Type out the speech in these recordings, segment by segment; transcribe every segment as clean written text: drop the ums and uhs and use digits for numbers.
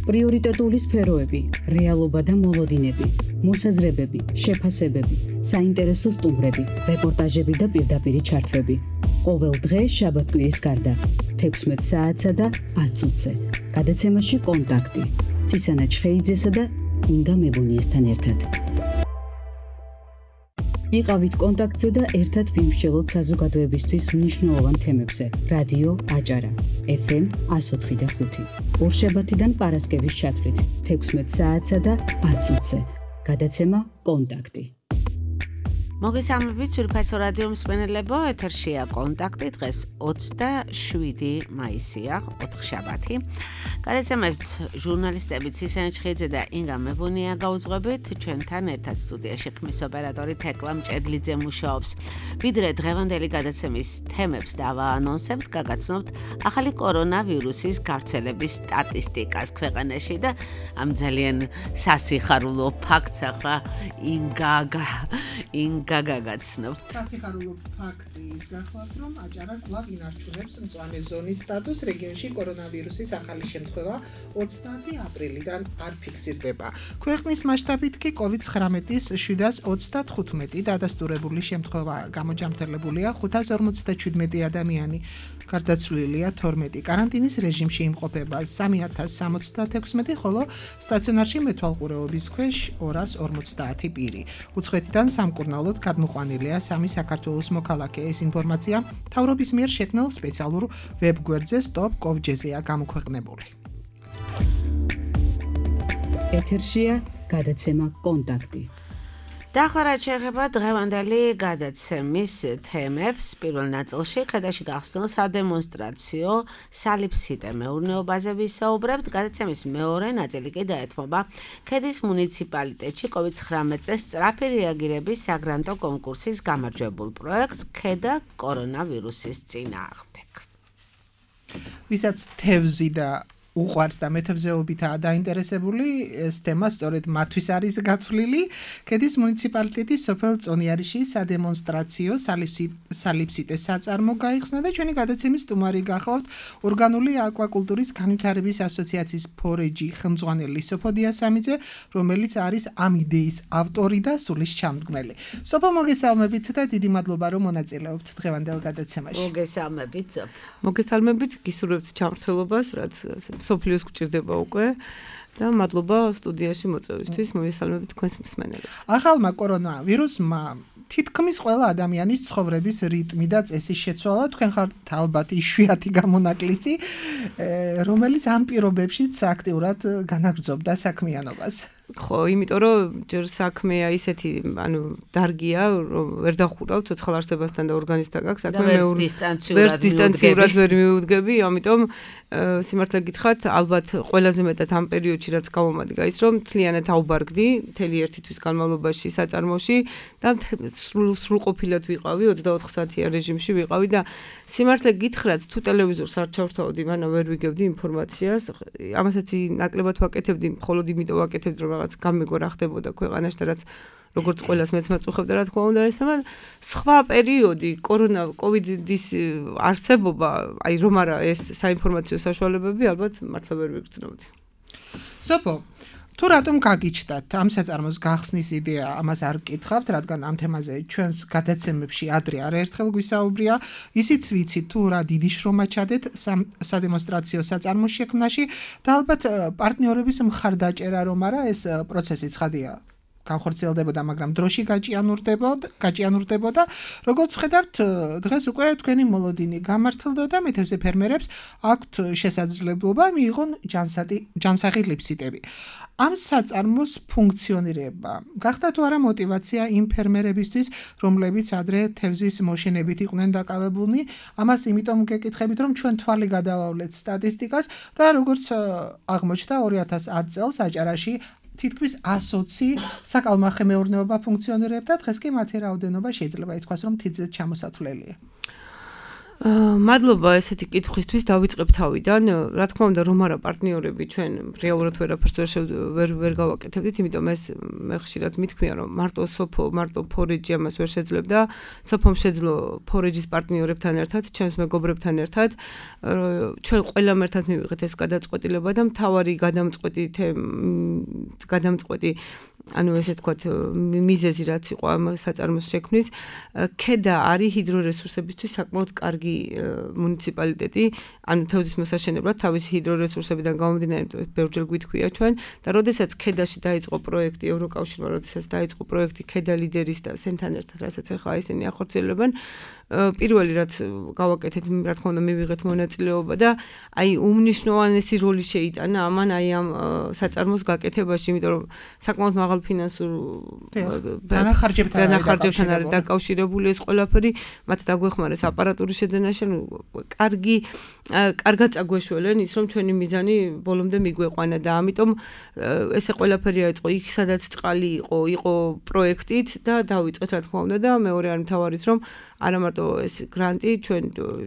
პრიორიტეტული სფეროები, რეალობა და მოლოდინები, მოსაზრებები, შეფასებები, საინტერესო სტუმრები, რეპორტაჟები და პირდაპირი ჩართვები. ყოველ დღე შაბათ-კვირის გარდა 16 საათსა და 10 წუთზე. გადაცემაში კონტაქტი. ცისანა ჩხეიძესა და ინგა მებუნიესთან ერთად. იყავით კონტაქტზე და ერთად ვიმსჯელოთ საზოგადოებისთვის მნიშვნელოვან თემებზე. რადიო აჭარა, FM 104.5. ორშაბათიდან პარასკევის ჩათვლით 16 საათსა და 10 წუთზე. გადაცემა კონტაქტი. მოგესალმებით ძვირფასო რადიო მსმენელებო, ეთერშია კონტაქტი, დღეს 27 მაისია, ოთხშაბათი. გადაცემას ჟურნალისტები ცისანა ჩხეიძე და ინგა მებუნია გაუძღვებით, ჩვენთან ერთად სტუდიაში ხმის ოპერატორი თეკლა მჭედლიძე მუშაობს. ვიდრე დღევანდელი გადაცემის თემებს დავაანონსებთ, გაგაცნობთ ახალი კორონავირუსის გავრცელების სტატისტიკას ქვეყანაში და ამ ძალიან სასიხარულო ფაქტს ახლა ინგა გაგაცნობთ. სასიხარულო ფაქტი ის გახლავთ, რომ აჭარა კვლავ ინარჩუნებს მწვანე ზონის სტატუსს. რეგიონში კორონავირუსის ახალი შემთხვევა 30 აპრილიდან არ ფიქსირდება. ქვეყნის მასშტაბით კი COVID-19-ის 735 დადასტურებული შემთხვევა გამოჯამრთელებულია, 557 ადამიანი გარდაცვლილია, 12 კარანტინის რეჟიმში იმყოფება, 3076, ხოლო სტაციონარში მეთვალყურეობის ქვეშ 250 პირი. უცხოეთიდან სამკურნალოდ გადმოყვანილია 3 საქართველოს მოქალაქე. ეს ინფორმაცია მთავრობის მიერ შექმნილ სპეციალურ ვებგვერდზე stop.gov.gr-ზეა გამოქვეყნებული. ეთერშია გადაცემა კონტაქტი. დაახლოებით შეეხება დღევანდელი გადაცემის თემებს. პირველ ნაწილში ხედაში გახსნილ სადემონსტრაციო სალიფსიტე მეურნეობაზე ვისაუბრებთ. გადაცემის მეორე ნაწილი კი დაეთმობა ქედის მუნიციპალიტეტში COVID-19-ზე სწრაფი რეაგირების საგრანტო კონკურსის გამარჯვებულ პროექტს ქედა კორონავირუსის წინააღმდეგ. ვისაც თევზი და უყვარს და მეთევზეობითაა დაინტერესებული, ეს თემა სწორედ მათთვის არის გათვლილი. ქედის მუნიციპალიტეტის სოფელ წონიარიში სადემონსტრაციო სალიფსიტე საწარმო გაიხსნა და ჩვენი გადაცემის სტუმარი გახლავთ ორგანული აკვაკულტურის განვითარების ასოციაციის ფორეჯი ხელმძღვანელი სოფოდია სამიძე, რომელიც არის ამ იდეის ავტორი და სულის ჩამდგმელი. სოფო, მოგესალმებით და დიდი მადლობა, რომ მონაწილეობთ დღევანდელ გადაცემაში. მოგესალმებით. მოგესალმებით, გისურვებთ ჩამრთელობას, რაც სოფლიოს გვჭირდება უკვე და მადლობა სტუდიაში მოწვევისთვის. მოგესალმებით თქვენს მსმენელებს. ახალმა კორონავირუსმა თითქმის ყველა ადამიანის ცხოვრების რიტმი და წესი შეცვალა. თქვენ ხართ ალბათ იშვიათი გამონაკლისი, რომელიც ამ პირობებშიც აქტიურად განაგრძობდა საქმიანობას. ხო, იმიტომ რომ ჯერ საქმეა ისეთი, დარგია, რომ ვერ დახურავ ცოცხალ არსებასთან და ორგანიზმთან გაქვს საქმე, დისტანციურად ვერ მიუდგები, ამიტომ სიმართლე გითხრათ, ალბათ ყველაზე მეტად ამ პერიოდში რაც გამომადგა ის, რომ მთლიანად აუბარგდი მთელი ერთი თვის განმავლობაში საწარმოში და სრულყოფილად ვიყავი, 24 საათიან რეჟიმში ვიყავი და სიმართლე გითხრათ, თუ ტელევიზორს არ ჩავთავდი, მანამ ვერ ვიგებდი ინფორმაციას, ამასაც ნაკლებად ვაკეთებდი, მხოლოდ იმიტომ ვაკეთებდი, რომ რაღაც გამეგო რა ხდებოდა ქვეყანაში და რაც როგორც ყველას მეც მაწუხებდა, რა თქმა უნდა, ესაა სხვა პერიოდი, კოვიდის არსებობა, აი რომ არა ეს საინფორმაციო საშუალებები, ალბათ მართლა ვერ ვიგრძნობდი. სოფო, თუ რატომ გაგიჩნდათ ამ საწარმოს გახსნის იდეა, ამას არ გკითხავთ, რადგან ამ თემაზე ჩვენს გადაცემებში ადრე არაერთხელ გვისაუბრია, ისიც ვიცით თუ რა დიდი შრომა ჩადეთ სადემონსტრაციო საწარმოს შექმნაში და ალბათ პარტნიორების მხარდაჭერა რომ არა, ეს პროცესი ცხადია განხორციელდებოდა, მაგრამ დროში გაჭიანურდებოდა. როგორც ვხედავთ, დღეს უკვე თქვენი მოლოდინი გამართლდა და მეთევზე ფერმერებს აქვთ შესაძლებლობა მიიღონ ჯანსაღი ლიფსიტები. ამ საწარმოს ფუნქციონირება გახდა თუ არა მოტივაცია იმ ფერმერებისთვის, რომლებიც ადრე თევზის მოშენებით იყვნენ დაკავებულნი? ამას იმიტომ გეკითხებით, რომ ჩვენ თვალი გადავავლეთ სტატისტიკას და როგორც აღმოჩნდა 2010 წელს აჭარაში თითქმის 120 საკალმახე მეურნეობა ფუნქციონირებდა, დღეს კი მათი რაოდენობა შეიძლება ითქვას, რომ თითზე ჩამოსათვლელია. მადლობა ესეთი კითხვისთვის დავიწყებ თავიდან. Რა თქმა უნდა, რომ არა პარტნიორები ჩვენ რეალურად ვერაფერს ვერ გავაკეთებდით, იმიტომ ეს მე ხშირად მithქვია, რომ მარტო სოფო, მარტო ფორეჯი ამას ვერ შეძლებდა. სოფომ შეძლო ფორეჯის პარტნიორებთან ერთად, ჩვენს მეგობრებთან ერთად. ჩვენ ყველამ ერთად მივიღეთ ეს გადაწყვეტილება და მთავარი გადამწყვეტი ანუ ესე თქვათ მიზეზი რაც იყო ამ საწარმოს შექმნის ქედა არის ჰიდრორესურსებისთვის საკმაოდ კარგი მუნიციპალიტეტი ანუ თევზის მოსაშენებლად თავისი ჰიდრორესურსებიდან გამომდინარე ბევრჯერ გვითქვია ჩვენ და როდესაც ქედაში დაიწყო პროექტი ევროკავშირმა როდესაც დაიწყო პროექტი ქედა ლიდერის და სენთან ერთად რასაც ახლა ისინი ახორციელებენ პირველი რაც გავაკეთეთ რა თქმა უნდა მივიღეთ მონაწილეობა და აი უმნიშვნელოვანესი როლი შეიტანა ამან აი ამ საწარმოს გაკეთებაში იმიტომ რომ საკმაოდ მაღალ ფინანსურ დანახარჯებთან არის დაკავშირებული ეს ყველაფერი მათ დაგვეხმარეს აპარატურის შეძენაში კარგად წაგვეშველენ ის რომ ჩვენი მიზანი ბოლომდე მიგვეყვანა და ამიტომ ესე ყველაფერი აიწყო იქ სადაც წყალი იყო პროექტით და დავიწყეთ რა თქმა უნდა და მეორე არის მთავარიც რომ არა მარტო ეს გრანტი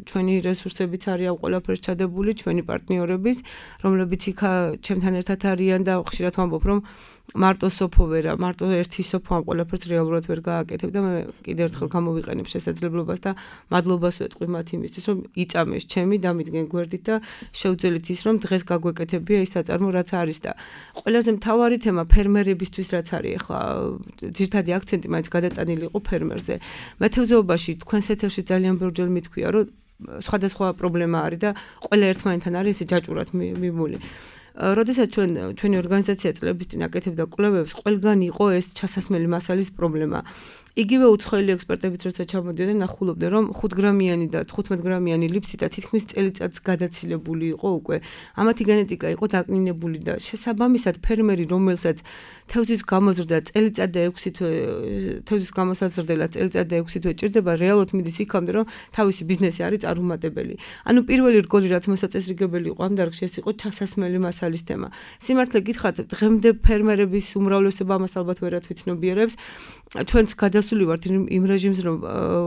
ჩვენი რესურსებიც არის ამ ყველაფერს ჩადებული ჩვენი პარტნიორების რომლებიც იქ ჩემთან ერთად არიან და ხშირად ვამბობ რომ მარტო სოფო ვერა მარტო ერთი სოფო ამ ყველაფერს რეალურად ვერ გააკეთებ და მე კიდევ ერთხელ გამოვიყენებ შესაძლებლობას და მადლობას ვეტყვი მათ იმისთვის რომ იწამეს ჩემი დამიდგენ გვერდით და შევძელით ის რომ დღეს გაგვეკეთებია ის საწარმო რაც არის და ყველაზე მთავარი თემა ფერმერებისთვის რაც არის ახლა ძირითადი აქცენტი მაინც გადატანილი იყო ფერმერზე მეთევზეობაში თქვენს ეთერში ძალიან ბევრჯერ მithქვია რომ სხვადასხვა პრობლემა არის და ყველა ერთმანეთთან არის ესე ჯაჭვურად მიმული როდესაც ჩვენი ორგანიზაცია წლების წინ აკეთებდა კვლევებს, ყველგან იყო ეს ჩასასმელი მასალის პრობლემა. იგივე უცხოელი ექსპერტებიც როცა ჩამოდიოდნენ, ნახულობდნენ, რომ 5 გრამიანი და 15 გრამიანი ლიფციტა თითქმის წელიწადს გადაცილებული იყო უკვე. ამათი გენეტიკა იყო დაკნინებული და შესაბამისად ფერმერი, რომელსაც თევზის გამოზრდა წელიწად და 6 თვე, თევზის გამოსაზრდელად წელიწად და 6 თვე ჭირდება, რეალურად მიდის იქამდე, რომ თავისი ბიზნესი არის წარუმატებელი. ანუ პირველი რგოლი რაც მოსაწესრიგებელი იყო ამ დარგში, ეს იყო ჩასასმელი მასალის თემა. სიმართლე გითხრათ, დღემდე ფერმერების უმრავლესობა ამას ალბათ ვერათ ვიცნობიერებს. ჩვენც გადასული ვართ იმ რეჟიმს რომ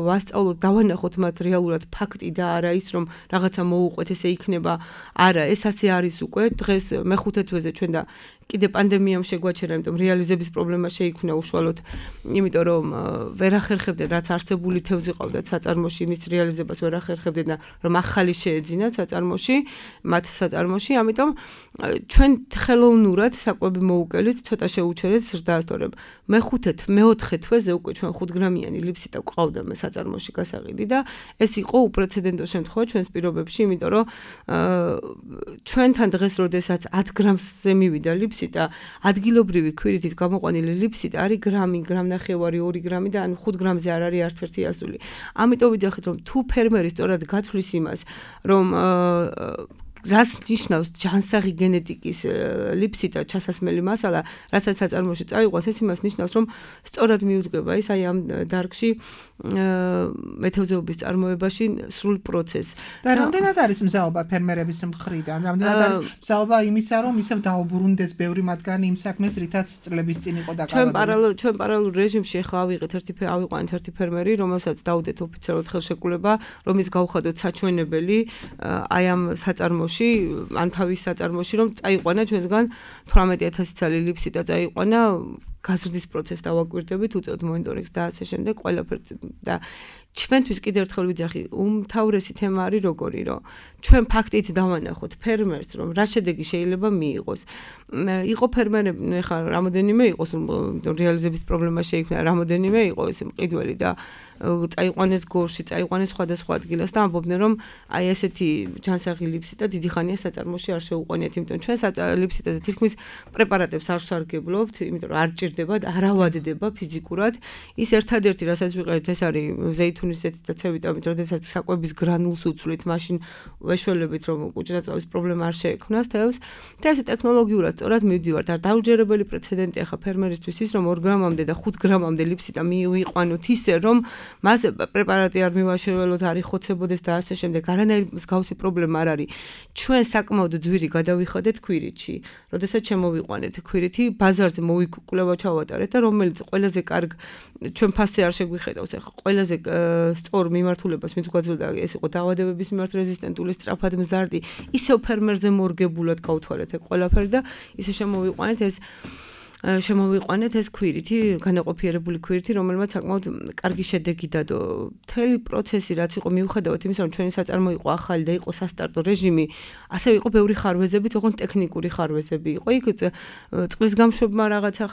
ვასწავლოთ დავანახოთ მათ რეალურად ფაქტი და არა ის რომ რაღაცა მოუყვეთ ესე იქნება არა ეს ასე არის უკვე დღეს მეხუთე თვეზე ჩვენ და კიდე პანდემიამ შეგვაჩერა იმიტომ რეალიზების პრობლემა შეიქმნა უშუალოდ იმიტომ რომ ვერ ახერხებდნენ რაც არსებული თევზი ყავდათ საწარმოში მის რეალიზებას ვერ ახერხებდნენ და რომ ახალი შეეძინათ საწარმოში მათ საწარმოში ამიტომ ჩვენ ხელოვნურად საკვები მოუგელით ცოტა შეუჩერეთ ზრდასწორებ მეოთხე თვეზე უკვე ჩვენ 5 გრამიანი ლიფციტა ყავდა მე საწარმოში გასაყიდი და ეს იყო უპრეცედენტო შემთხვევა ჩვენს პირობებში იმიტომ რომ ჩვენთან დღეს როდესაც 10 გრამზე მივიდა ლიფციტა ადგილობრივი ქვირითით გამოყვანილი ლიფციტა არის გრამნახევარი 2 გრამი და ან 5 გრამზე არ არის არც ერთი ასული ამიტომ ვიძახით რომ თუ ფერმერი სწორად გათვლის იმას რომ რას ნიშნავს ჯანსაღი გენეტიკის ლიფციტა ჩასასმელი მასალა, რასაც საწარმოში წაიყვანს, ეს იმას ნიშნავს, რომ სწორად მიუდგება ის აი ამ დარგში მეთევზეობის წარმოებაში სრულ პროცესს. და რამდენად არის მზაობა ფერმერების მხრიდან? რამდენად არის მზაობა იმისა, რომ ისევ დაუბრუნდეს ბევრი მათგანი იმ საქმეს, რითაც წლების წინ იყო დაკავებული? ჩვენ პარალელურ რეჟიმში ახლა ავიყვანეთ ერთი ფერმერი, რომელსაც დაუდეთ ოფიციალურად ხელშეკრულება, რომ ის გავხადოთ საჩვენებელი აი ამ საწარმოში ან თავის საწარმოში რომ წაიყვანა ჩვენსგან 18000 ცალი ლიფციტა წაიყვანა გაზრდის პროცესს დავაკვირდებით უწევთ მონიტორინგს და ასე შემდეგ ყველაფერს და ჩვენთვის კიდევ ერთხელ ვიძახი უმთავრესი თემა არის როგორი რომ ჩვენ ფაქტით დავანახოთ ფერმერს რომ რა შედეგი შეიძლება მიიღოს იყო ფერმერები ეხლა რამოდენიმე იყოს რეალიზების პრობლემა შეიქმნა რამოდენიმე იყო ეს მყიდველი და წაიყვანეს გორში წაიყვანეს სხვადასხვა ადგილას და ამბობდნენ რომ აი ესეთი ჯანსაღი ლიფციტა დიდი ხანია საწარმოში არ შეუყვანიათ იმიტომ ჩვენ ლიფციტაზე თითქმის პრეპარატებს არ ვსარგებლობთ იმიტომ რომ არ ჭირდება და არ ავადდება ფიზიკურად ის ერთადერთი რასაც ვიყენებთ ეს არის ზეითუნის ზეთი და C-ვიტამინი როდესაც საკვების გრანულს უცვლით მაშინ ვეშველებით რომ კუჭრაწავის პრობლემა არ შეექმნას თევზს და ესე ტექნოლოგიურად სწორად მივდივართ და დაუჯერებელი პრეცედენტი ახლა ფერმერისთვის ის რომ 2 გრამამდე და 5 გრამამდე ლიფციტა მივიყვანოთ ისე რომ მას პრეპარატი არ მივაშველოთ არ იხოცებოდეს და ასე შემდეგ არანაირი მსგავსი პრობლემა არ არის ჩვენ საკმაოდ ძვირი გადავიხადეთ ქვირითში როდესაც შემოვიყვანეთ ქვირითი ბაზარზე მოვიკვლევა ჩავატარეთ და რომელიც ყველაზე კარგ ჩვენ ფასზე არ შეგვიხედავს ახლა ყველაზე სწორ მიმართულებას ვინც გვაძლევდა ეს იყო დაავადებების მიმართ რეზისტენტული სწრაფად მზარდი ისევ ფერმერზე მორგებულად გავთვალეთ ეგ ყველაფერი და ისე შემოვიყვანეთ ეს ქვირითი, განაყოფიერებული ქვირითი, რომელმაც საკმაოდ კარგი შედეგი დადო. მთელი პროცესი რაც იყო მიუხედავად იმისა, რომ ჩვენი საწარმო იყო ახალი და იყო სასტარტო რეჟიმი, ასევე იყო ბევრი ხარვეზები, თქო ტექნიკური ხარვეზები იყო. იქ წყლის გამშვებმა რაღაცა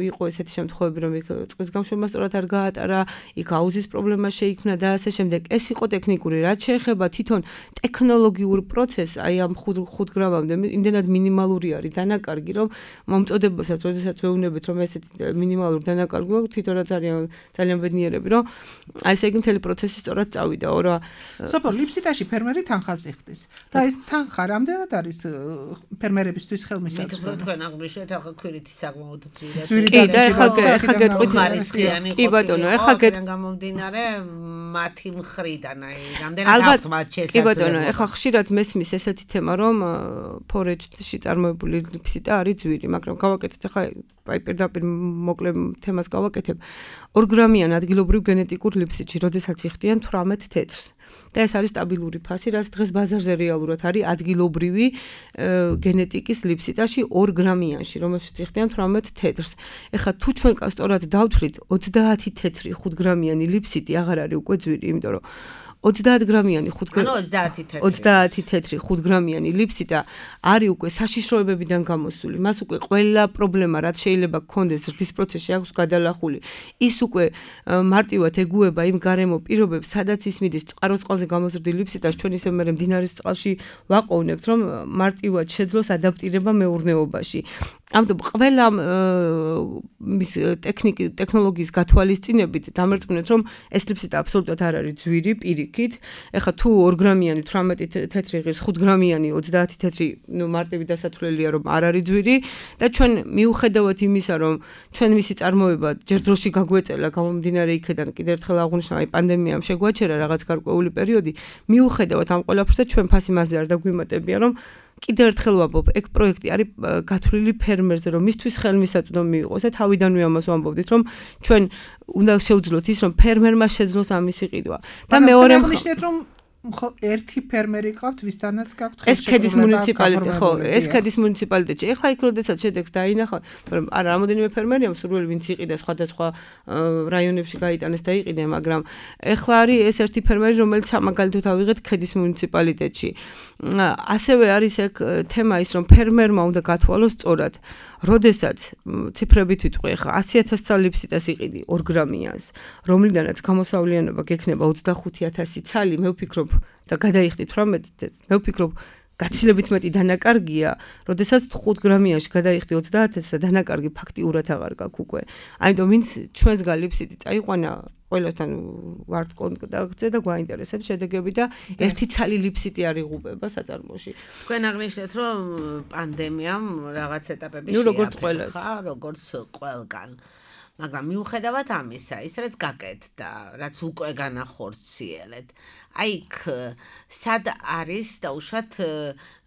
იყო ესეთი შემთხვევები, რომ იქ წყლის გამშვებმა სწორად არ გაატარა, იქ აუზის პრობლემა შეიქმნა და ასე შემდეგ. ეს იყო ტექნიკური. რაც შეეხება თვითონ ტექნოლოგიურ პროცესს, აი ამ 5 გრამამდე იმდენად მინიმალური არის დანაკარგი, რომ მომწოდებასაც როდესაც ვეუბნებით რომ ესეთი მინიმალური დანაკარგი აქვს თვითონაც არიან ძალიან ბედნიერები რომ აი ესე იგი მთელი პროცესი სწორად წავიდა ორა სოფო ლიფსიტაში ფერმერი თანხას იხდის და ეს თანხა რამდენად არის ფერმერებისთვის ხელმისაწვდომი მე თვითონ თქვენ აღნიშნეთ ახლა ქვირითი საკმაოდ ძვირი და ეხლა გეტყვით კი ბატონო ეხლა გამომდინარე მათი მხრიდან აი რამდენად აქვს მათ შესაძლებლობა კი ბატონო ეხლა ხშირად მესმის ესეთი თემა რომ ფორეჯში წარმოებული ლიფსიტა არის ძვირი მაგრამ გავაკეთეთ ახლა აი პირდაპირ მოკლე თემას გავაკეთებ 2 გრამიან ადგილობრივ გენეტიკურ ლიფსიტში როდესაც იხდიან 18 თეთრს და ეს არის სტაბილური ფასი რაც დღეს ბაზარზე რეალურად არის ადგილობრივი გენეტიკის ლიფსიტაში 2 გრამიანში რომელშიც იხდიან 18 თეთრს ეხლა თუ ჩვენ სწორად დავთვლით 30 თეთრი 5 გრამიანი ლიფსიტი აღარ არის უკვე ძვირი იმიტომ რომ 30 გრამიანი 30 თეთრი 5 გრამიანი ლიფსიტა არის უკვე საშიშროებებიდან გამოსული. მას უკვე ყველა პრობლემა რაც შეიძლება გქონდეს ზრდის პროცესში აქვს გადალახული. ის უკვე მარტივად ეგუება იმ გარემო პირობებს, სადაც ის მიდის წყაროს წყალზე გამოზრდილ ლიფსიტას ჩვენ ისე მე მდინარის წყალში ვაყოვნებთ, რომ მარტივად შეძლოს ადაპტირება მეურნეობაში. ამიტომ ყველა მის ტექნოლოგიის გათვალისწინებით დამერწმუნეთ, რომ ეს ლიფსიტა აბსოლუტურად არ არის ძვირი პირიქით. ეხლა თუ 2 გრამიანი 18 თეთრი ღირს 5 გრამიანი 30 თეთრი, ნუ მარტივი დასათვლელია, რომ არ არის ძვირი და ჩვენ მიუხედავად იმისა, რომ ჩვენ მისი წარმოება ჯერ დროში გაგვეწელა გამომდინარე იქიდან კიდევ ერთხელ აღვნიშნა, აი პანდემიამ შეგვაჩერა რაღაც გარკვეული პერიოდი, მიუხედავად ამ ყველაფერზე ჩვენ ფასი მასზე არ დაგვიმატებია, რომ კიდევ ერთხელ ვამბობ, ეგ პროექტი არის გათვლილი ფერმერზე, რომ მისთვის ხელმისაწვდომი იყოს და თავიდანვე ამას ვამბობდით, რომ ჩვენ უნდა შევძლოთ ის, რომ ფერმერმა შეძლოს ამისი ყიდვა. და მეორე აღნიშნეთ, რომ ერთი ფერმერი ყავთ, ვისთანაც გაქვთ ეს ქედის მუნიციპალიტეტი, ხო, ეს ქედის მუნიციპალიტეტი. ეხლა იქ როდესაც შედეგს დაინახავ, მაგრამ არა რამოდენიმე ფერმერია მსურველი, ვინც იყიდა სხვადასხვა რაიონებში გაიტანეს და იყიდა, მაგრამ ეხლა არის ეს ერთი ფერმერი, რომელიც სამაგალითოდ ავიღეთ ქედის მუნიციპალიტეტში. ასევე არის ეგ თემა ის, რომ ფერმერმა უნდა გათვალოს სწორად, როდესაც ციფრებით ვიტყვი, ეხლა 100,000 ცალ ლიფსიტას იყიდი 2 გრამიანს, რომლიდანაც გამოსავლიანობა გექნება 25,000 ცალი, მე ვფიქრობ და გადაიხდით 18-ს, მე ვფიქრობ გაცილებით მეტი დანაკარგია, როდესაც 5 გრამიანში გადაიხდი 30-ს და დანაკარგი ფაქტიურად აღარ გაქვს უკვე. ამიტომ ვინც ჩვენს გალიფსიტი წაიყვანა ყველასთან ვართ კონტაქტზე და გვაინტერესებს შედეგები და ერთი ცალი ლიფსიტი არ იღუპება საწარმოში. თქვენ აღნიშნეთ, რომ პანდემიამ რაღაც ეტაპები შეაფერხა, როგორც ყველგან. მაგრამ მიუხედავად ამისა, ის რაც გაკეთდა, რაც უკვე განახორციელეთ, აი იქ სად არის დაუშვათ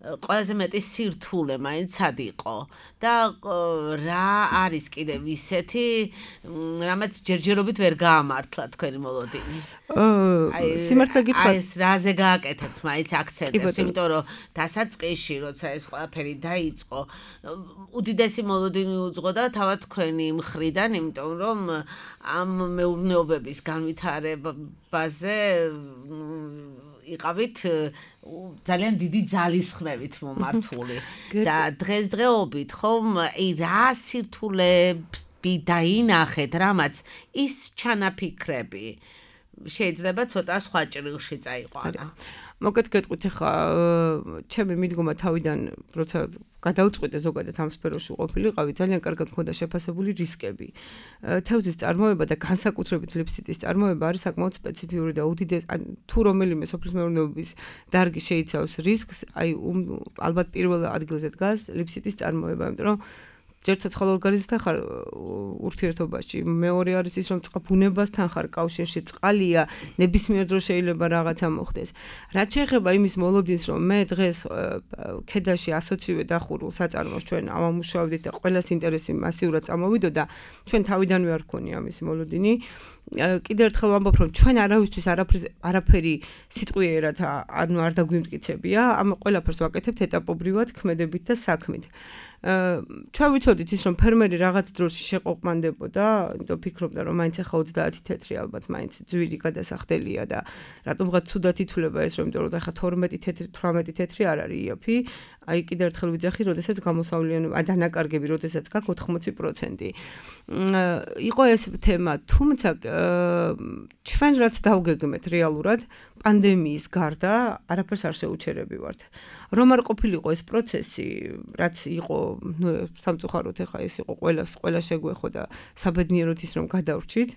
ყველაზე მეტი სირთულე მაინც სად იყო და რა არის კიდევ ისეთი რამაც ჯერჯერობით ვერ გაამართლა თქვენი მოლოდინი. სიმართლე გითხრათ, ეს რაზე გააკეთებთ მაინც აქცენტებს, იმიტომ რომ დასაწყისში, როცა ეს ყველაფერი დაიწყო, უდიდესი მოლოდინი უძღო და თავად თქვენი მხრიდან, იმიტომ რომ ამ მეურნეობების განვითარებაზე იყავით ძალიან დიდი ძალისხმევით მომართული და დღესდღეობით ხომ რა სირთულები დაინახეთ, რამაც ის ჩანაფიქრები შეიძლება ცოტა სხვა ჭრილში წაიყვანა. მოკეთ გეტყვით ახლა ჩემი მიდგომა თავიდან როცა გადავწყვიტე ზოგადად ამ სფეროში ყოფილიყავი, ძალიან კარგად მქონდა შეფასებული რისკები. თევზის წარმოება და განსაკუთრებით ლიფსიტის წარმოება არის საკმაოდ სპეციფიური და უდიდესი, თუ რომელიმე სოფლის მეურნეობის დარგი შეიცავს რისკს, აი ალბათ პირველ ადგილზე დგას ლიფსიტის წარმოება, იმიტომ რომ ჯერ ცოცხალ ორგანიზმთან ხარ ურთიერთობაში, მეორე არის ის რომ ბუნებასთან ხარ კავშირში, წყალია, ნებისმიერ დროს შეიძლება რაღაცა მოხდეს. რაც შეეხება იმის მოლოდინს, რომ მე დღეს ქედაში ასოციირე დახურულ საწარმოს ჩვენ ამამუშავებდით და ყველას ინტერესი მასიურად წამოვიდოდა, ჩვენ თავიდანვე არ გქონია ამის მოლოდინი. კიდევ ერთხელ ვამბობ, რომ ჩვენ არავისთვის არაფერი სიტყვიერად არ დაგვიმტკიცებია, ამ ყველაფერს ვაკეთებთ ეტაპობრივად, ქმედებით და საქმით. ჩვენ ვიცოდით ის, რომ ფერმერი რაღაც დროში შეყოყმანდებოდა, იმიტომ ფიქრობდა, რომ მაინც ახლა 30 თეთრი ალბათ მაინც ძვირი გადასახდელია და რატომღაც ცუდად ითვლება ეს, რომ იმიტომ რომ ახლა 12 თეთრი, 18 თეთრი არ არის იაფი. აი კიდევ ერთხელ ვიძახი, როდესაც გამოსავლიანობა, დანაკარგები, როდესაც გაქვს 80%. იყო ეს თემა, თუმცა ჩვენ რაც დავგეგმეთ რეალურად პანდემიის გარდა არაფერს არ შეუჩერებივართ. რომ არ ყოფილიყო ეს პროცესი, რაც იყო, სამწუხაროდ ახლა ეს იყო ყველა შეგვეხო და საბედნიეროდ ის რომ გადავრჩით.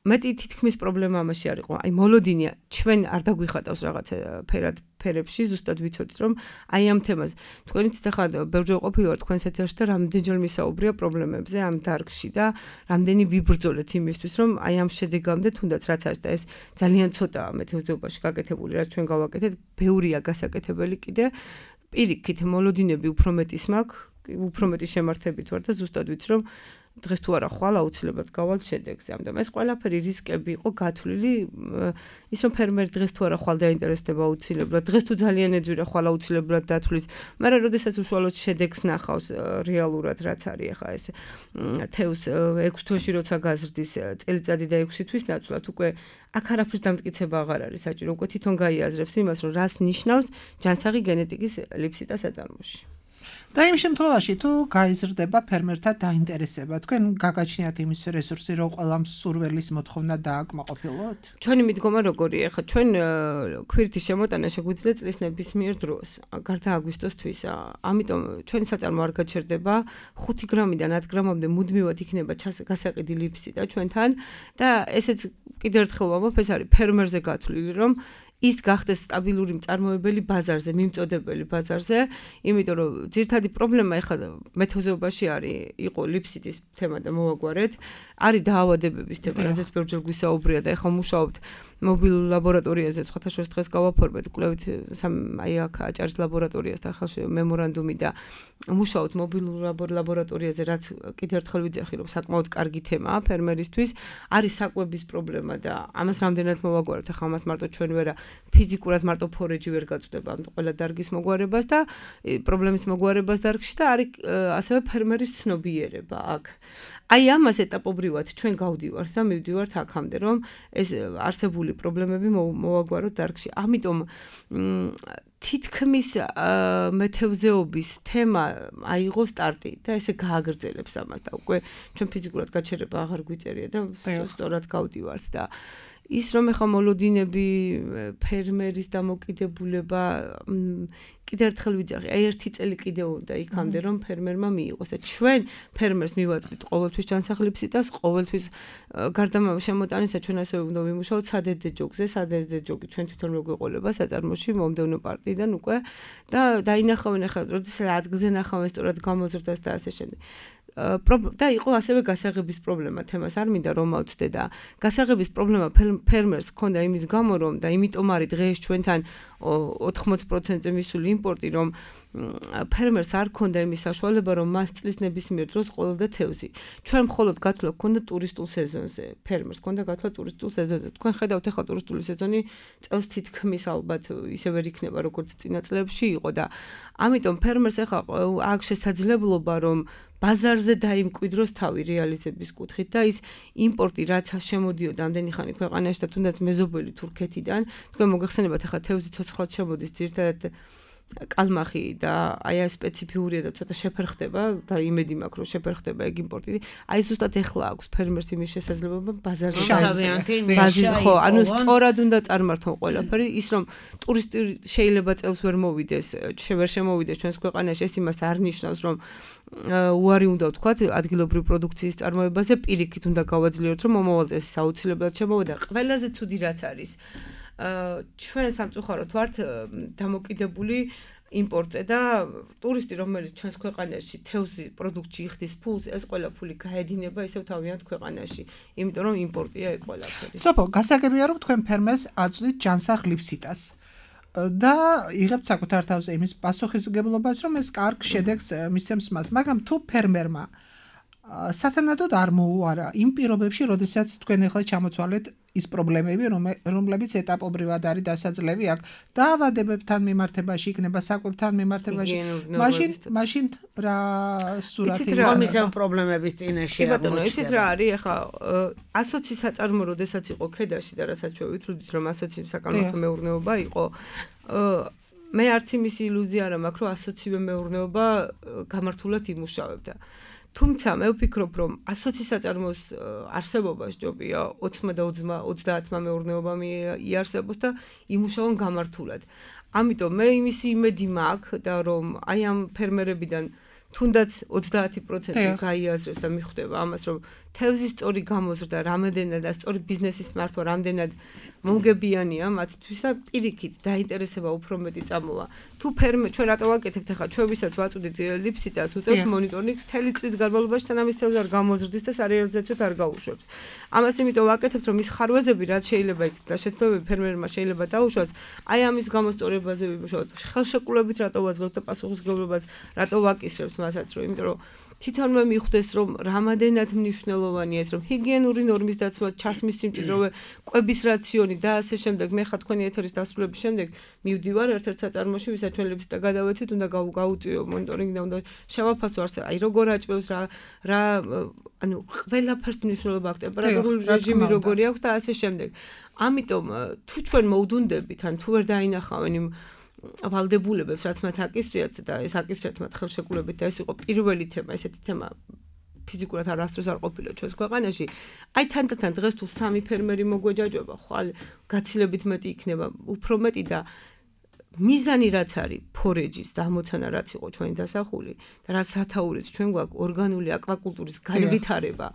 მეტი თითქმის პრობლემა ამაში არ იყო. აი მოლოდინია, ჩვენ არ დაგვიხატავს რაღაცა ფერებში, ზუსტად ვიცოდით რომ აი ამ თემას. თქვენიც ახლა ბევრჯერ ყოფილიყავ თქვენს ეთერში და რამდენჯერ მისაუბრია პრობლემებზე ამ დარგში და რამდენი ვიბრძოლეთ იმისთვის, რომ აი ამ შედეგამდე თუნდაც რაც არის და ეს ძალიან ცოტაა მეთევზეობაში გაკეთებული, რაც ჩვენ გავაკეთეთ, ბევრია გასაკეთებელი კიდე. პირიქით მოლოდინები უფრო მეტის მაქვს, უფრო მეტი შემართებით ვარ და ზუსტად ვიცი რომ დღეს თუ არა ხვალ აუცილებლად გავალთ შედეგზე. ამიტომ ეს ყველაფერი რისკები იყო გათვლილი, ის რომ ფერმერი დღეს თუ არა ხვალ დაინტერესდება აუცილებლად, დღეს თუ ძალიან ეძვირა ხვალ აუცილებლად დათვლის, მაგრამ როდესაც უშუალოდ შედეგს ნახავს რეალურად რაც არის ახლა ეს თევს 6 თვეში როცა გაზრდის წელიწადი და 6 თვის ნაცვლად უკვე აქ არაფრის დამტკიცება აღარ არის საჭირო, უკვე თვითონ გაიაზრებს იმას, რომ რას ნიშნავს ჯანსაღი გენეტიკის ლიფსიტა საწარმოში. და იმ შემთხვევაში თუ გაიზრდება ფერმერთა დაინტერესება, თქვენ გაგაჩნიათ იმის რესურსი, რომ ყველა მსურველის მოთხოვნა დააკმაყოფილოთ? ჩვენი მიდგომა როგორია? ახლა ჩვენ ქვირითის შემოტანა შეგვიძლია წლის ნებისმიერ დროს, გარდა აგვისტოსთვისა. ამიტომ ჩვენი საწარმო არ გაჩერდება, 5 გრამიდან 10 გრამამდე მუდმივად იქნება გასაყიდი ლიფსიტა ჩვენთან და ესეც კიდევ ერთხელ ვამბობ, ეს არის ფერმერზე გათვლილი, რომ ის გახდეს სტაბილური მწარმოებელი ბაზარზე, მიმწოდებელი ბაზარზე, იმიტომ რომ ძირითადი პრობლემა ახლა მეთევზეობაში იყო ლიფსიტის თემა და მოვაგვარეთ, არის დაავადებების თემა, რაზეც ბევრჯერ გვისაუბრია და ახლა მუშაობთ მობილურ ლაბორატორიაზე, სხვათა შორის დღეს გავაფორმეთ კვლევით აი აქ აჭარის ლაბორატორიასთან ხალხში მემორანდუმი და მუშაობთ მობილურ ლაბორატორიაზე, რაც კიდევ ერთხელ ვიძახი, რომ საკმაოდ კარგი თემაა ფერმერისთვის, არის საკვების პრობლემა და ამას რამდენად მოვაგვარეთ, ახლა ამას მარტო ჩვენ ვერა ფიზიკურად მარტო ფორეჯი ვერ გაწვდება ამ ყველა დარგის მოგვარებას და პრობლემის მოგვარებას დარგში და არის ასევე ფერმერის ცნობიერება აქ. აი ამას ეტაპობრივად ჩვენ გავდივართ და მივდივართ აქამდე, რომ ეს არსებული პრობლემები მოვაგვაროთ დარგში. ამიტომ თითქმის მეთევზეობის თემა აიღო სტარტი და ესე გააგრძელებს ამას და უკვე ჩვენ ფიზიკურად გაჩერება აღარ გვიწერია და სწორად გავდივართ და ის რომ ეხა მოლოდინები ფერმერის დამოკიდებულება კიდევ ერთხელ ვიძახი, აი ერთი წელი კიდევ უნდა იქამდე რომ ფერმერმა მიიღოს და ჩვენ ფერმერს მივაწვით ყოველთვის ჯანსაღლიფსიტას, ყოველთვის გარდა შემოტანისა ჩვენ ასევე უნდა ვიმუშაოთ სადედე ჯოგზე, სადედე ჯოგი ჩვენ თვითონ მოგვეყოლება საწარმოში მომდევნო პარტიიდან უკვე და დაინახავენ ახლა როდესაც ადგილზე ნახავენ სწორად გამოზრდას და ასე შემდეგ. და იყო ასევე გასაღების პრობლემა, თემას არ მინდა რომ ავწდე და გასაღების პრობლემა ფერმერს ჰქონდა იმის გამო რომ და იმიტომ არის დღეს ჩვენთან 80%-ზე მისული იმპორტი რომ ფერმერს არ ჰქონდა იმის საშუალება რომ მას წლის ნებისმიერ დროს ყოლოდა თევზი. ჩვენ მხოლოდ გათვლა ჰქონდა ტურისტულ სეზონზე. ფერმერს ჰქონდა გათვლა ტურისტულ სეზონზე. თქვენ ხედავთ ახლა ტურისტული სეზონი წელს თითქმის ალბათ ისე ვერ იქნება როგორც წინა წლებში იყო და ამიტომ ფერმერს ახლა აქვს შესაძლებლობა რომ ბაზარზე დაიმკვიდროს თავი რეალიზების კუთხით და ის იმპორტი რაც შემოდიოდა ამდენი ხანი ქვეყანაში და თუნდაც მეზობელი თურქეთიდან, თქვენ მოგეხსენებათ ახლა თევზი ცოცხლად შემოდის ძირითადად კალმახი და აი ეს სპეციფიურია და ცოტა შეფერხდება და იმედი მაქვს რომ შეფერხდება ეგ იმპორტი. აი ზუსტად ახლა აქვს ფერმერს იმის შესაძლებლობა ბაზარზე ხო, ანუ სწორად უნდა წარმართონ ყველაფერი, ის რომ ტურისტი შეიძლება წელს ვერ მოვიდეს, ვერ შემოვიდეს ჩვენს ქვეყანაში, ეს იმას არ ნიშნავს რომ უარი უნდა ვთქვათ ადგილობრივი პროდუქციის წარმოებაზე, პირიქით უნდა გავაძლიეროთ რომ მომავალ წელს აუცილებლად შემოვიდა. ყველაზე ცუდი რაც არის ჩვენ სამწუხაროდ ვართ დამოკიდებული იმპორტზე და ტურისტი რომელიც ჩვენს ქვეყანაში თევზი პროდუქტში იხდის ფულს, ეს ყველა ფული გაედინება ისევ თავიანთ ქვეყანაში, იმიტომ რომ იმპორტია ეგ ყველაფერი. სოფო, გასაგებია რომ თქვენ ფერმერს აწვდით ჯანსაღ ლიფსიტას. და იღებთ საკუთარ თავზე იმის პასუხისმგებლობას, რომ ეს კარგ შედეგს მისცემს მას, მაგრამ თუ ფერმერმა სათანადოდ არ მოუარა იმ პირობებში, როდესაც თქვენ ახლა ჩამოთვალეთ ის პრობლემები, რომლებიც ეტაპობრივად არის დასაძლევი აქ დაავადებებთან მიმართებაში, იქნება საკვებთან მიმართებაში, მაშინ რა სურათი ხომის ამ პრობლემების წინაშე აღმოჩნდება. ისეთ რა არის, ახლა ასოცი საწარმო როდესაც იყო ქედაში და რასაც ჩვენ ვითვლით, რომ ასოცი საკალმახო მეურნეობა იყო, მე არც იმის ილუზია არ მაქვს, რომ ასოცივე მეურნეობა გამართულად იმუშავებდა. თუმცა მე ვფიქრობ, რომ ასოცი საწარმოს არსებობა სჯობია 20 და 30 მეურნეობამ იარსებოს და იმუშაონ გამართულად. ამიტომ მე იმის იმედი მაქვს და რომ აი ამ ფერმერებიდან თუნდაც 30% გაიაზრებს და მიხვდება ამას, რომ თევზის სწორი გამოზრდა რამდენად და სწორი ბიზნესის მართვა რამდენად მომგებიანია მათთვის და პირიქით დაინტერესება უფრო მეტი წამოვა. თუ ჩვენ რატო ვაკეთებთ ახლა ჩვენ ვისაც ვაწვდით ლიფსიტას უწევთ მონიტორინგს მთელი წლის განმავლობაში სანამ ის თევზი არ გამოზრდის და სარეალიზაციოდ არ გაუშვებს. ამას იმიტომ ვაკეთებთ, რომ ის ხარვეზები რაც შეიძლება იქნება და შეცდომები ფერმერმა შეიძლება დაუშვას, აი ამის გამოსწორებაზე ვიმუშაოთ. ხელშეკრულებით რატო ვაძლევთ და პასუხისმგებლობას რატო ვაკისრებს მასაც, რომ იმიტომ რომ თვითონვე მიხვდეს, რომ რამადენად მნიშვნელოვანია ეს, რომ ჰიგიენური ნორმის დაცვა, ჩასმის სიმჭიდროვე, კვების რაციონი და ასე შემდეგ. მე ხა თქვენი ეთერის დასრულების შემდეგ მივდივარ ერთ-ერთ საწარმოში, ვისაც ჩვენ ლიფსიტა გადავეცით, უნდა გავუწიო მონიტორინგი და უნდა შევაფასო არც აი როგორ აჭვევს რა ანუ ყველაფერს მნიშვნელობა აქვს, ტემპერატურული რეჟიმი როგორი აქვს და ასე შემდეგ. ამიტომ თუ ჩვენ მოვდუნდებით, ან თუ ვერ დაინახავენ იმ ვალდებულებებს, რაც მათ აკისრიათ და ეს აკისრიათ მათ ხელშეკრულებით და ეს იყო პირველი თემა, ესეთი თემა ფიზიკურად არასდროს არ ყოფილა ჩვენს ქვეყანაში. აი თანდათან დღეს თუ 3 ფერმერი მოგვეჯაჯობა, ხვალ გაცილებით მეტი იქნება, უფრო მეტი და მიზანი რაც არის ფორეჯის დამოცანა რაც იყო ჩვენი დასახული და რაც სათაურიც ჩვენ გვაქვს ორგანული აკვაკულტურის განვითარება.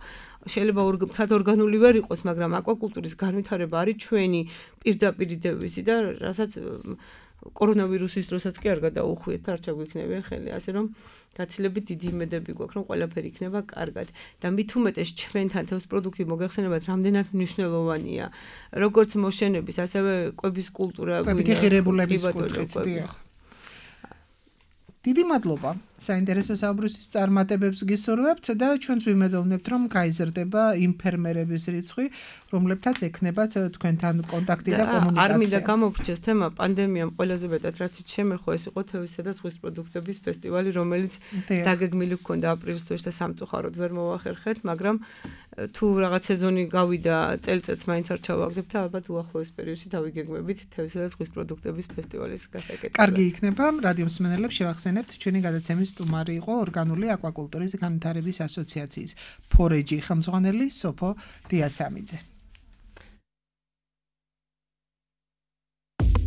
შეიძლება მთლად ორგანული ვერ იყოს, მაგრამ აკვაკულტურის განვითარება არის ჩვენი პირდაპირ დევიზი და რასაც კორონავირუსის დროსაც კი არ გადაუხვიეთ და არ ჩაგვიქნებიან ხელი, ასე რომ გაცილებით დიდი იმედები გვაქვს, რომ ყველაფერი იქნება კარგად და მით უმეტეს ჩვენთან თევზ პროდუქტი მოგეხსენებათ, რამდენად მნიშვნელოვანია, როგორც მოშენების, ასევე კვების კულტურა, კვებით ღირებულების კუთხით, დიახ. დიდი მადლობა საინტერესო საუბრისთვის, წარმატებებს გისურვებთ და ჩვენც ვიმედოვნებთ, რომ გაიზრდება იმ ფერმერების რიცხვი, რომლებთაც ექნებათ თქვენთან კონტაქტი და კომუნიკაცია. არ მინდა გამოვრჩეს თემა პანდემიამ ყველაზე მეტად რაც შემეხო, ეს იყო თევზისა და ზღვის პროდუქტების ფესტივალი, რომელიც დაგეგმილი ჰქონდა აპრილის თვეში და სამწუხაროდ ვერ მოახერხეთ, მაგრამ თუ რაღაც სეზონი გავიდა, წელიწადს მაინც არ ჩავაგდებთ და ალბათ უახლოეს პერიოდში დავიგეგმებით თევზისა და ზღვის პროდუქტების ფესტივალის გასაკეთებას. კარგი იქნება, რადიო მსმენელებს შევახსენებთ, ჩვენი გადაცემის სტუმარი იყო ორგანული აკვაკულტურის განვითარების ასოციაციის ფორეჯი ხელმძღვანელი სოფო დიასამიძე.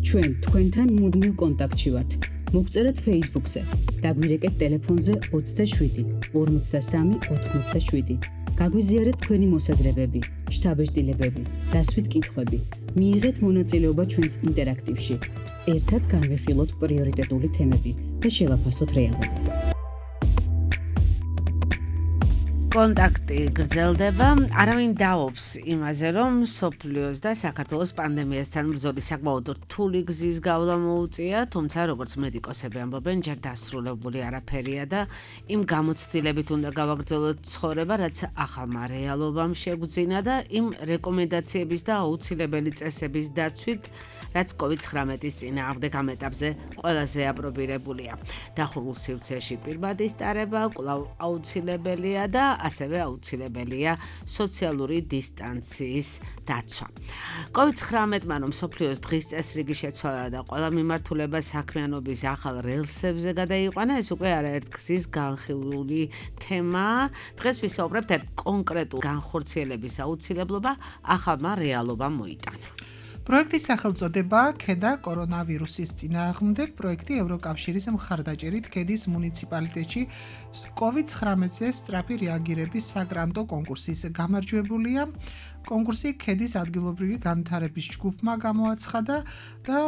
ჩვენ თქვენთან მუდმივ კონტაქტში ვართ. მოგწერეთ Facebook-ზე, დაგვირეკეთ ტელეფონზე 27 53 87. გაგვიზიარეთ თქვენი მოსაზრებები, შთაბეჭდილებები, დასვით კითხვები. მიიღეთ მონაწილეობა ჩვენს ინტერაქტივში. ერთად განვიხილოთ პრიორიტეტული თემები და შევაფასოთ რეალობა. კონტაქტი გრძელდება, არავინ დაობს იმაზე, რომ სოფლიოს და საქართველოს პანდემიასთან ბრძოლის საკმაოდ რთული გზის გავლა მოუწია, თუმცა როგორც მედიკოსები ამბობენ, ჯერ დასრულებული არაფერია და იმ გამოცდილებით უნდა გავაგრძელოთ ცხოვრება, რაც ახალმა რეალობამ შეგვძინა და იმ რეკომენდაციების და აუცილებელი წესების დაცვით, რაც COVID-19-ის წინააღმდეგ ამ ეტაპზე ყველაზე აპრობირებულია. დახურულ სივრცეში პირბადის ტარება კვლავ აუცილებელია და ასევე აუცილებელია სოციალური დისტანციის დაცვა. COVID-19-მა რომ მსოფლიოს დღის წესრიგი შეცვალა და ყველა მიმართულება საქმიანობის ახალ რელსებზე გადაიყვანა, ეს უკვე არაერთ გზის განხილული თემაა. დღეს ვისაუბრებთ ერთ კონკრეტულ განხორციელების აუცილებლობა ახალმა რეალობამ მოიტანა. პროექტის სახელწოდებაა ქედა კორონავირუსის წინააღმდეგ. პროექტი ევროკავშირის მხარდაჭერით ქედის მუნიციპალიტეტში COVID-19-ზე სწრაფი რეაგირების საგრანტო კონკურსის გამარჯვებულია. კონკურსი ქედის ადგილობრივი განვითარების ჯგუფმა გამოაცხადა და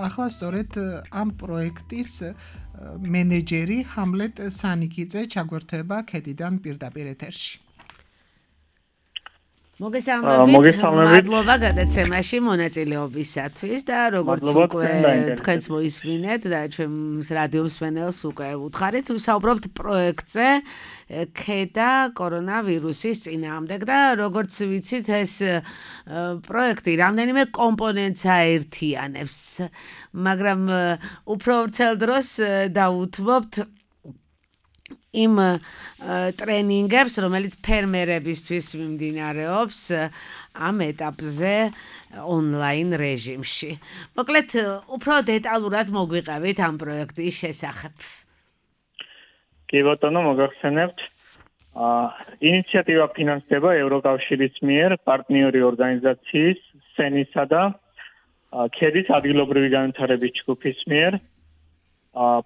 ახლა სწორედ ამ პროექტის მენეჯერი ჰამლეტ სანიკიძე ჩაგვერთვება ქედიდან პირდაპირ ეთერში. მოგესალმებით. მადლობა გადაცემაში მონაწილეობისათვის და როგორც უკვე თქვენც მოისმინეთ და ჩვენს რადიო მსმენელს უკვე უთხარით, ვსაუბრობთ პროექტზე ქედა კორონავირუსის წინააღმდეგ და როგორც ვიცით ეს პროექტი რამდენიმე კომპონენტს აერთიანებს, მაგრამ უფრო ვრცელ დროს დავუთმობთ იმ ტრენინგებს, რომელიც ფერმერებისთვის მიმდინარეობს ამ ეტაპზე ონლაინ რეჟიმში. მოკლედ, უფრო დეტალურად მოგვიყევით ამ პროექტის შესახებ. კი ბატონო, მოგახსენებთ. ინიციატივა ფინანსდება ევროკავშირის მიერ პარტნიორი ორგანიზაციის სენისა და ქედის ადგილობრივი განვითარების ჯგუფის მიერ.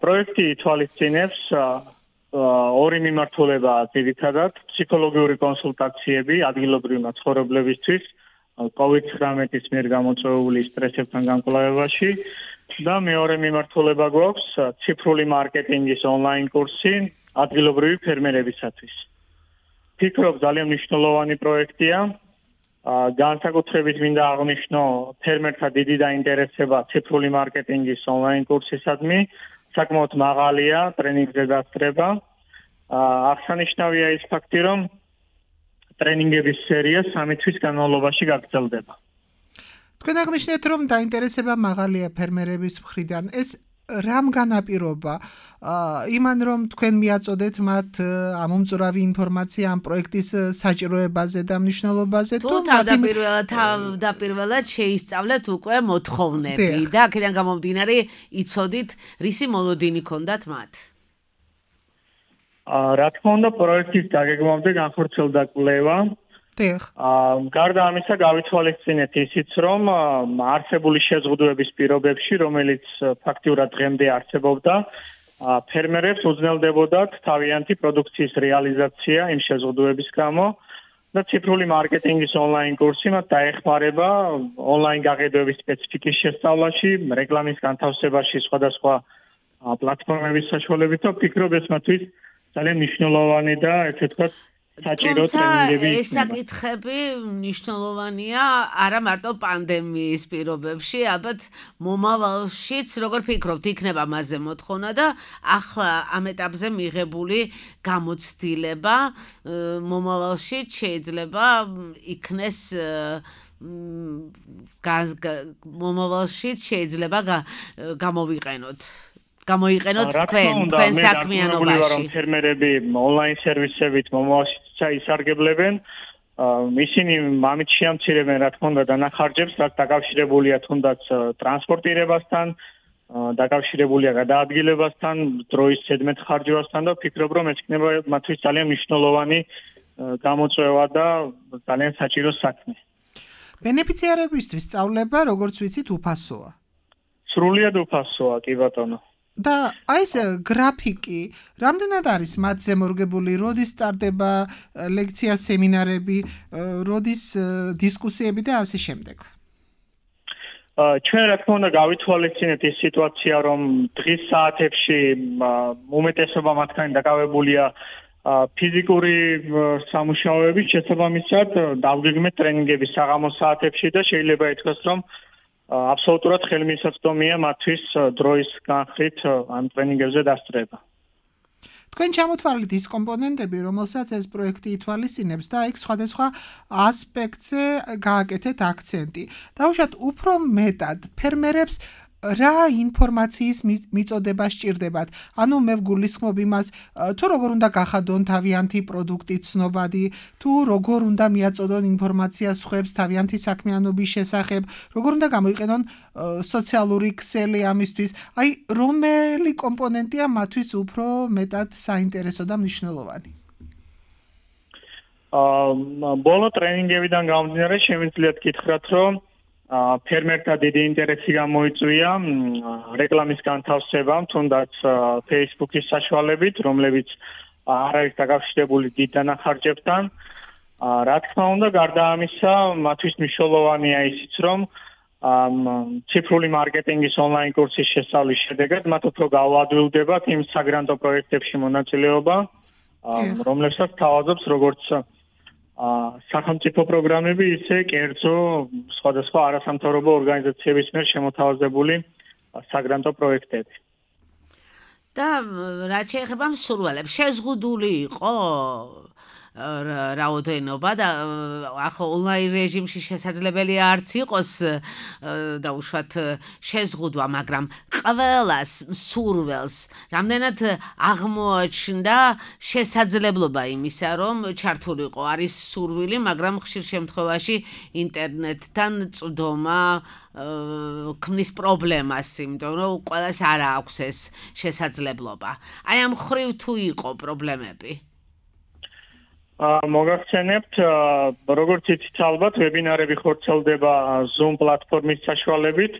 პროექტი ითვალისწინებს ორი მიმართულება ძირითადად ფსიქოლოგიური კონსულტაციები ადგილობრივ მაცხოვრებლებისთვის COVID-19-ის მიერ გამოწვეული სტრესებთან გამკლავებაში და მეორე მიმართულება გვაქვს ციფრული მარკეტინგის ონლაინ კურსი ადგილობრივი ფერმერებისათვის. ფიქრობ ძალიან მნიშვნელოვანი პროექტია. განსაკუთრებით მინდა აღნიშნო ფერმერთა დიდი დაინტერესება ციფრული მარკეტინგის ონლაინ კურსისადმი. საკმაოდ მაღალია ტრენინგზე დასწრება. აღსანიშნავია ის ფაქტი, რომ ტრენინგების სერია 3 თვის განმავლობაში გაგრძელდება. თქვენ აღნიშნეთ, რომ დაინტერესება მაღალია ფერმერების მხრიდან. ეს რამ განაპირობა? იმან რომ თქვენ მიაწოდეთ მათ ამომწურავი ინფორმაცია ამ პროექტის საჭიროებაზე და მნიშვნელობაზე თუ თავდაპირველად შეისწავლეთ უკვე მოთხოვნები და აქედან გამომდინარე იცოდით რისი მოლოდინი ჰქონდათ მათ? რა თქმა უნდა, პროექტის დაგეგმვამდე განხორციელდა კვლევა. გარდა ამისა, გავითვალისწინეთ ისიც, რომ არსებული შეზღუდვების პირობებში, რომელიც ფაქტიურად დღემდე არსებობდა, ფერმერებს უძნელდებოდათ თავიანთი პროდუქციის რეალიზაცია იმ შეზღუდვების გამო და ციფრული მარკეტინგის ონლაინ კურსი მათ დაეხმარება ონლაინ გაყიდვების სპეციფიკის შესწავლაში, რეკლამის განთავსებაში სხვადასხვა პლატფორმების საშუალებით და ვფიქრობ ეს მათთვის ძალიან მნიშვნელოვანი და ესე ვთქვათ საჭირო ტრენინგები. ეს საკითხები მნიშვნელოვანია არა მარტო პანდემიის პირობებში, ალბათ მომავალშიც, როგორ ფიქრობთ, იქნება მასზე მოთხოვნა და ახლა ამ ეტაპზე მიღებული გამოცდილება მომავალში შეიძლება იქნეს მომავალშიც შეიძლება გამოვიყენოთ თქვენ საქმიანობაში. ფერმერები ონლაინ სერვისებით მომავალში ისარგებლებენ. ისინი ამით შეამცირებენ, რა თქმა უნდა, დანახარჯებს, რაც დაკავშირებულია თუნდაც ტრანსპორტირებასთან, დაკავშირებულია გადაადგილებასთან, დროის ზედმეტ ხარჯებასთან და ვფიქრობ, რომ ეს იქნება მათთვის ძალიან მნიშვნელოვანი გამოწვევა და ძალიან საჭირო საქმე. ბენეფიციარებისთვის სწავლება, როგორც ვიცით, უფასოა. სრულიად უფასოა, კი ბატონო. და აი ეს გრაფიკი, რამდენად არის მათზე მორგებული, როდის სტარტდება ლექცია, სემინარები, როდის დისკუსიები და ასე შემდეგ? ჩვენ რა თქმა უნდა გავითვალისწინეთ ის სიტუაცია, რომ დღის საათებში უმეტესობა მათგანი დაკავებულია ფიზიკური სამუშაოებით, შესაბამისად დავგეგმეთ ტრენინგები საღამოს საათებში და შეიძლება ითქვას, რომ აბსოლუტურად ხელმისაწვდომია მათთვის დროის განხრით ამ ტრენინგებზე დასწრება. თქვენ ჩამოთვალეთ ის კომპონენტები, რომელსაც ეს პროექტი ითვალისწინებს და იქ სხვადასხვა ასპექტზე გააკეთეთ აქცენტი. დაუშვათ უფრო მეტად ფერმერებს რა ინფორმაციის მიწოდება სჭირდებათ? ანუ მე ვგულისხმობ იმას, თუ როგორ უნდა გახადონ თავიანთი პროდუქტი ცნობადი, თუ როგორ უნდა მიაწოდონ ინფორმაცია სხვებს თავიანთი საქმიანობის შესახებ, როგორ უნდა გამოიყენონ სოციალური ქსელი ამისთვის. აი, რომელი კომპონენტია მათთვის უფრო მეტად საინტერესო და მნიშვნელოვანი? ბოლო ტრენინგებიდან გამომდინარე, შემიძლიათ გითხრათ, რომ ფერმერთა დიდი ინტერესი გამოიწვია რეკლამის განთავსებამ, თუნდაც Facebook-ის საშუალებით, რომლებიც არ არის დაკავშირებული დიდ დანახარჯებთან. რა თქმა უნდა, გარდა ამისა, მათთვის მნიშვნელოვანია ისიც, რომ ციფრული მარკეტინგის ონლაინ კურსის შესწავლის შედეგად მათ უფრო გაუადვილდებათ იმ საგრანტო პროექტებში მონაწილეობა, რომლებსაც თავაზობს როგორც სახელმწიფო პროგრამები, ისე კერძო სხვადასხვა არასამთავრობო ორგანიზაციების მიერ შემოთავაზებული საგრანტო პროექტები. და რაც შეეხება მსურველებს, შეზღუდული იყო რაოდენობა და ახლა ონლაინ რეჟიმში შესაძლებელია არც იყოს დაუშვათ შეზღუდვა, მაგრამ ყველას მსურველს რამდენად აღმოაჩნდა შესაძლებლობა იმისა, რომ ჩართულიყო არის სურვილი, მაგრამ ხშირ შემთხვევაში ინტერნეტთან წვდომა ქმნის პრობლემას, იმიტომ რომ ყველას არ აქვს ეს შესაძლებლობა. აი ამ ხრივ თუ იყო პრობლემები? მოგახსენებთ, როგორც იცით ალბათ, ვებინარები ხორციელდება Zoom პლატფორმის საშუალებით.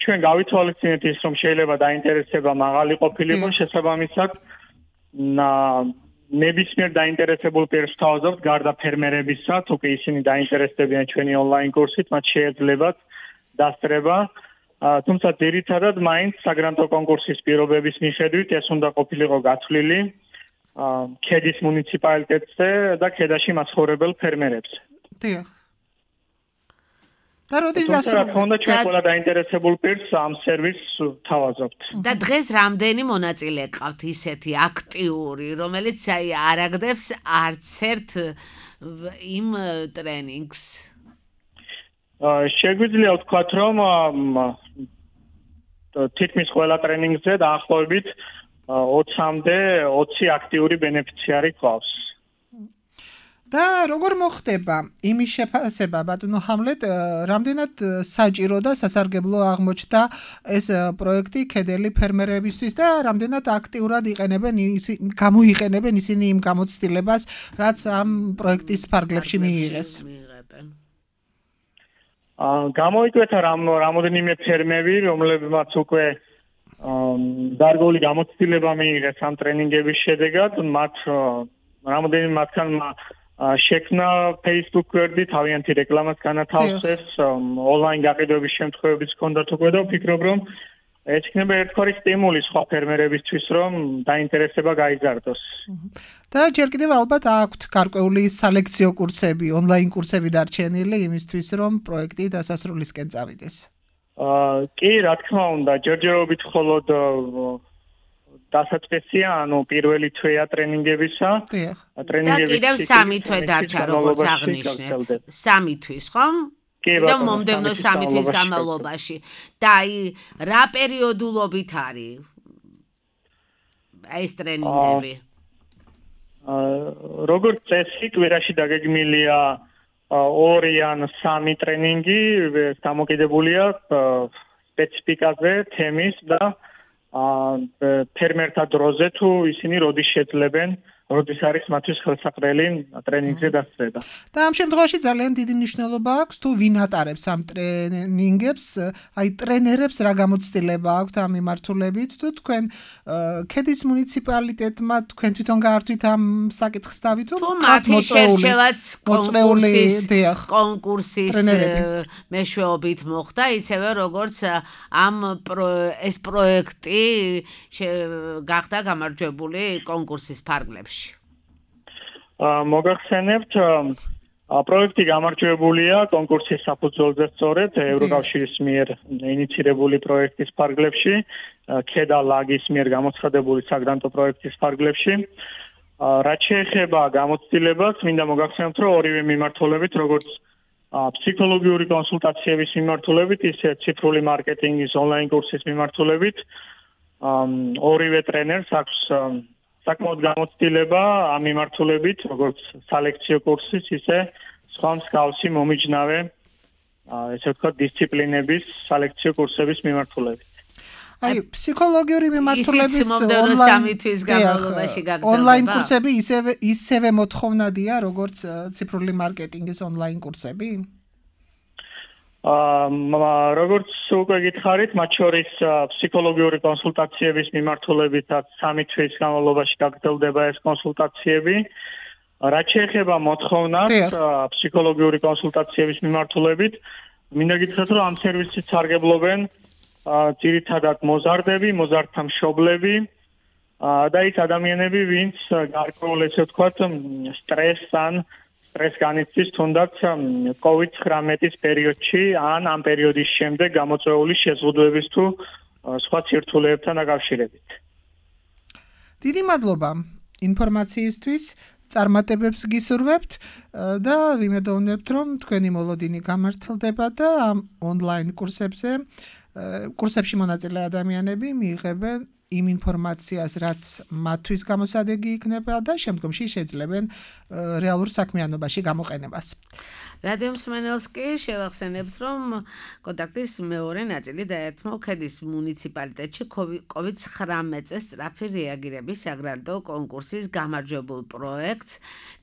ჩვენ გავითვალისწინეთ ის, რომ შეიძლება დაინტერესება მაღალი ყოფილიყო, შესაბამისად, ნებისმიერ დაინტერესებულ პირს ვთავაზობთ, გარდა ფერმერებისა, თუ კი ისინი დაინტერესდებიან ჩვენი ონლაინ კურსით, მათ შეეძლებათ დასწრება. თუმცა ძირითადად მაინც საგრანტო კონკურსის პირობების მიხედვით ეს უნდა ყოფილიყო გათვლილი ქედის მუნიციპალიტეტზე და ქედაში მაცხოვრებელ ფერმერებზე. დიახ. და როდის დასრულდა? თქონდა ჩვენ ყველა დაინტერესებულ პირს ამ სერვისს თავაზობთ. და დღეს რამდენი მონაწილე ყავთ ისეთი აქტიური, რომელიც აი არ აგდებს არც ერთ იმ ტრენინგს? შეგვიძლია ვთქვათ, რომ თითქმის ყველა ტრენინგზე დაახლოებით 20-მდე 20 აქტიური ბენეფიციარი ყავს. და როგორ მოხდება იმის შეფასება, ბატონო ჰამლეტ, რამდენად საჭირო და სასარგებლო აღმოჩნდა ეს პროექტი ქედელი ფერმერებისთვის და რამდენად აქტიურად გამოიყენებენ ისინი იმ გამოცდილებას, რაც ამ პროექტის ფარგლებში მიიღეს? გამოიკვეთა რამოდენიმე ფერმები, რომლებმაც უკვე დარგული გამოცდილება მიიღეს ამ ტრენინგების შედეგად, რამოდენიმე მათგანმა შექმნა Facebook გვერდი, თავიანთი რეკლამას განათავსეს, ონლაინ გაყიდვების შემთხვევებიც ჰქონდათ უკვე და ვფიქრობ, რომ ეს იქნება ერთგვარი სტიმული სხვა ფერმერებისთვის, რომ დაინტერესება გაიზარდოს. და ჯერ კიდევ ალბათ აქვთ გარკვეული სალექციო კურსები, ონლაინ კურსები დარჩენილი იმისთვის, რომ პროექტი დასასრულისკენ წავიდეს. კი, რა თქმა უნდა, ჯერჯერობით მხოლოდ დასაწყისია, ანუ პირველი თვეა ტრენინგებისა. და კიდევ 3 თვე დარჩა, როგორც აღნიშნეთ. 3 თვის, ხო? და მომდევნო 3 თვის განმავლობაში. და აი, რა პერიოდულობით არის ეს ტრენინგები? როგორც წესი, კვირაში დაგეგმილია 2 ან 3 ტრენინგი, დამოკიდებულია სპეციფიკაზე, თემის და ფერმერთა დროზე, თუ ისინი როდის შეძლებენ, როდის არის მათთვის ხელსაყრელი ტრენინგზე დასწრება. და ამ შემთხვევაში ძალიან დიდი მნიშვნელობა აქვს, თუ ვინ ატარებს ამ ტრენინგებს, აი ტრენერებს რა გამოცდილება აქვთ ამ მიმართულებით, თუ თქვენ ქედის მუნიციპალიტეტმა თქვენ თვითონ გაართვით ამ საკითხს დავით, თუ მათი შერჩევაც კონკურსის მეშვეობით მოხდა, ისევე როგორც ეს პროექტი გახდა გამარჯვებული კონკურსის ფარგლებში. მოგახსენებთ, პროექტი გამარჯვებულია კონკურსის საფუძველზე სწორედ ევროკავშირის მიერ ინიცირებული პროექტის ფარგლებში, ქედა ლაგის მიერ გამოცხადებული საგრანტო პროექტის ფარგლებში. რაც შეეხება გამოცდილებას, მინდა მოგახსენებთ, რომ ორივე მიმართულებით, როგორც ფსიქოლოგიური კონსულტაციების მიმართულებით, ისე ციფრული მარკეტინგის ონლაინ კურსის მიმართულებით, ორივე ტრენერს აქვს საკმაოდ გამოცდილება ამ მიმართულებით, როგორც სალექციო კურსის, ისე სხვა მსგავსი მომიჯნავე, ესე ვთქვათ, დისციპლინების სალექციო კურსების მიმართულებით. აი, ფსიქოლოგიური მიმართულების ონლაინ კურსები ისევე მოთხოვნადია, როგორც ციფრული მარკეტინგის ონლაინ კურსები? როგორც უკვე გითხარით, მათ შორის ფსიქოლოგიური კონსულტაციების მიმართულებითაც 3 თვის განმავლობაში გაგრძელდება ეს კონსულტაციები. რაც შეეხება მოთხოვნას ფსიქოლოგიური კონსულტაციების მიმართულებით, მინდა გითხრათ, რომ ამ სერვისით სარგებლობენ ძირითადად მოზარდები, მოზარდთა მშობლები და ის ადამიანები, ვინც გარკვეულ ესე ვთქვათ, სტრესს განიცდის თუნდაც COVID-19 პერიოდში ან ამ პერიოდის შემდეგ გამოწვეული შეზღუდვების თუ სხვა ცირთულებებთან დაკავშირებით. დიდი მადლობა ინფორმაციისთვის. წარმატებებს გისურვებთ და ვიმედოვნებთ, რომ თქვენი მოლოდინი გამართლდება და ამ ონლაინ კურსებში მონაწილე ადამიანები მიიღებენ იმ ინფორმაციას, რაც მათთვის გამოსადეგი იქნება და შემდგომში შეძლებენ რეალურ საქმიანობაში გამოყენებას. რადიო მსმენელს კი შევახსენებთ, რომ კონტაქტის მეორე ნაწილი დაერთმო ქედის მუნიციპალიტეტში COVID-19-ზე სწრაფი რეაგირების საგრანტო კონკურსის გამარჯვებულ პროექტს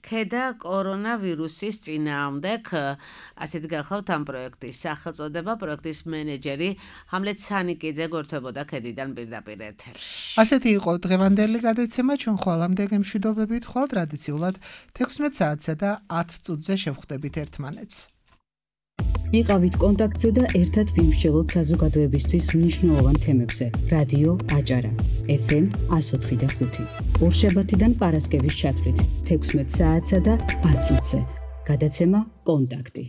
ქედა კორონავირუსის წინააღმდეგ. ასეთი გახლავთ ამ პროექტის სახელწოდება. პროექტის მენეჯერი ჰამლეთ სანიკიძე გვერდებოდა ქედიდან პირდაპირ ეთერში. ასეთი იყო დღევანდელი გადაცემა. ჩვენ ხვალამდე გემშვიდობებით, ხვალ ტრადიციულად 16 საათსა და 10 წუთზე შევხვდებით ერთმანეთს. იყავით კონტაქტზე და ერთად ვიმსჯელოთ საზოგადოებისთვის მნიშვნელოვან თემებზე. რადიო აჭარა FM 104.5. ორშაბათიდან პარასკევის ჩათვლით 16 საათსა და 10 წუთზე. გადაცემა კონტაქტი.